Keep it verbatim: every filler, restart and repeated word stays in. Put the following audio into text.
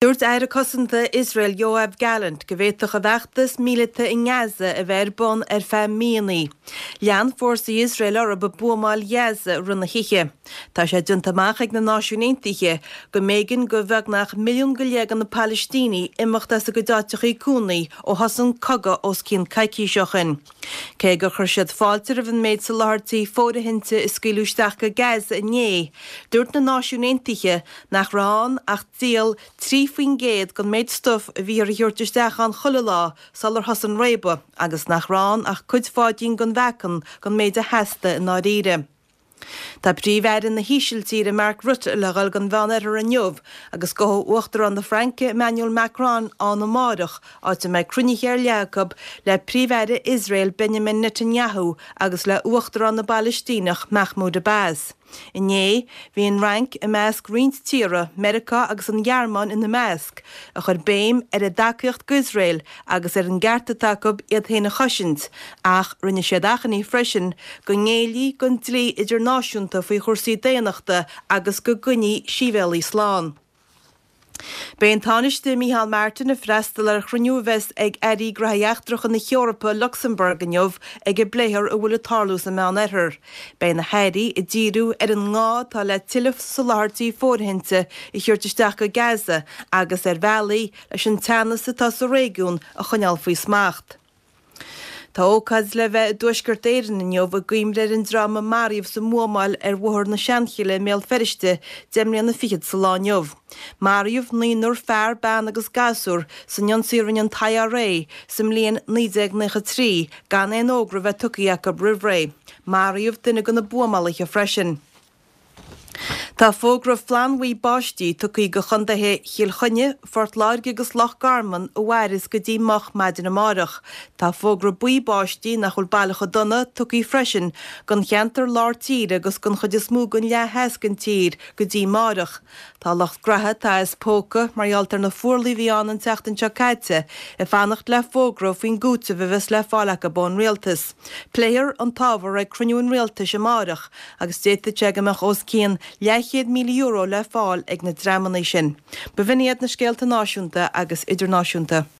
Dúirt Aire Cosanta Iosrael Yoav Gallant go bhféadfadh a bhfeachtas míleata i nGaza a bheith ar bun ar feadh míonna. Lean fórsaí Iosrael orthu ag buamáil Ghaza i rith na hoíche. Tá sé déanta amach ag na Náisiúin Aontaithe go mb'éigean do bheagnach milliún go leith de na Palaistínigh imeacht as a gcuid áiteachaí cónaí ó thosaigh an cogadh os cionn coicíse ó shin. Cé gur chuir siad fáilte roimh an méid soláthairtí fóirithinte a scaoileadh isteach go Gaza inné, dúirt na Náisiúin Aontaithe nach raibh ann ach díol trí faoin gcéad den méid stuif a bhíothar a thabhairt isteach ann chuile lá sular thosaigh an réabadh agus nach raibh ann ach cuid pháidín den mheacan den méid a theastaigh i ndáiríre. Tá Príomh-Aire na hÍsiltíre Mark Rutte le dhul don Mheánoirthear inniu agus gabhfaidh Uachtarán na Fraince Emmanuel Macron ann amárach, áit a mbeidh cruinnithe ar leith acu le Príomh-Aire Iosrael Benjamin Netanyahu agus le Uachtarán na bPalaistíneach Mahmoud Abbas. Inné, bhí an Fhrainc i measc roinnt tíortha, Meiriceá agus an Ghearmáin ina measc, a chuir béim ar a dtacaíocht d'Iosrael agus ar an gceart atá acu iad féin a chosaint, ach rinne siad achainí freisin go ngéillfí don dlí idirnáisiúnta faoi chúrsaí daonnachta agus go gcoinneofaí sibhialaigh slán. Beidh an Tánaiste Micheál Martin ag freastal ar chruinniú a bheas ag Airí Gnóthaí Eachtracha na hEorpa i Lucsamburg inniu ag a bpléifear a bhfuil ag tarlú sa Meánoirthear. Beidh na hairí ag díriú ar an ngá atá le tuilleadh soláthairtí fóirithinte a thabhairt isteach go Gaza agus ar bhealaí leis an teannas atá sa réigiún a choinneáil faoi smacht. Tá ócáid le bheith i dTuaisceart Éireann inniu i gcuimhne ar an dream a maraíodh sa mbuamáil ar Bhóthar na Seanchille i mBéal Feirste deich mbliana fichead sa lá inniu. Maraíodh naonúr fear, bean agus gasúr san ionsaí a rinne an t-I R A sa mbliain naoi déag nócha trí gan aon fhógra bheith tugtha acu roimh ré. Maraíodh duine de na buamálaithe freisin. Tá fógra flannbhuí báistí tugtha do chontaetha Chill Chainnigh, Phort Láirge agus Loch Garman a mhairfeas go dtí moch maidin amárach. Tá fógra buí báistí nach bhfuil baileach chomh dona tugtha freisin don cheantar lár tíre agus don chuid is mó den leath theas den tír go dtí amárach. Tá lucht graithe atá as póca mar gheall ar na fuarlaigh a bhí ann an tseachtain seo caite ag fanacht le fógra faoin gcúiteamh a bheas le fáil acu ón rialtas. Pléifear an t-ábhar ag cruinniú an rialtais amárach agus d'fhéadfadh sé go mbeadh os cionn leathchéad míle euro le fáil ag na dreamanna sin. B'in iad na scéalta náisiúnta agus idirnáisiúnta.